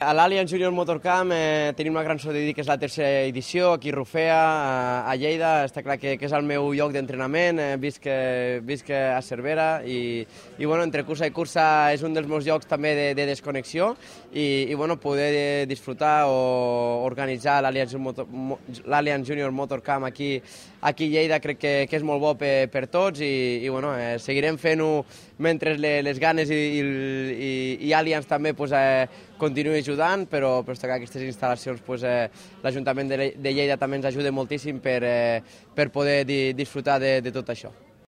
A l'Allianz Junior Motorcamp tenim una gran sort de dir que és la tercera edició aquí a Rufea, a Lleida. Està clar que és el meu lloc d'entrenament, visc a Cervera i bueno, entre cursa i cursa és un dels meus llocs també de desconnexió i bueno, poder disfrutar o organitzar l'Allianz Junior Motorcamp aquí a Lleida crec que és molt bo per tots i bueno, seguirem fent-ho mentre les ganes i Allianz també continuï ajudant, però està clar que aquestes instal·lacions l'Ajuntament de Lleida també ens ajuda moltíssim per poder disfrutar de tot això.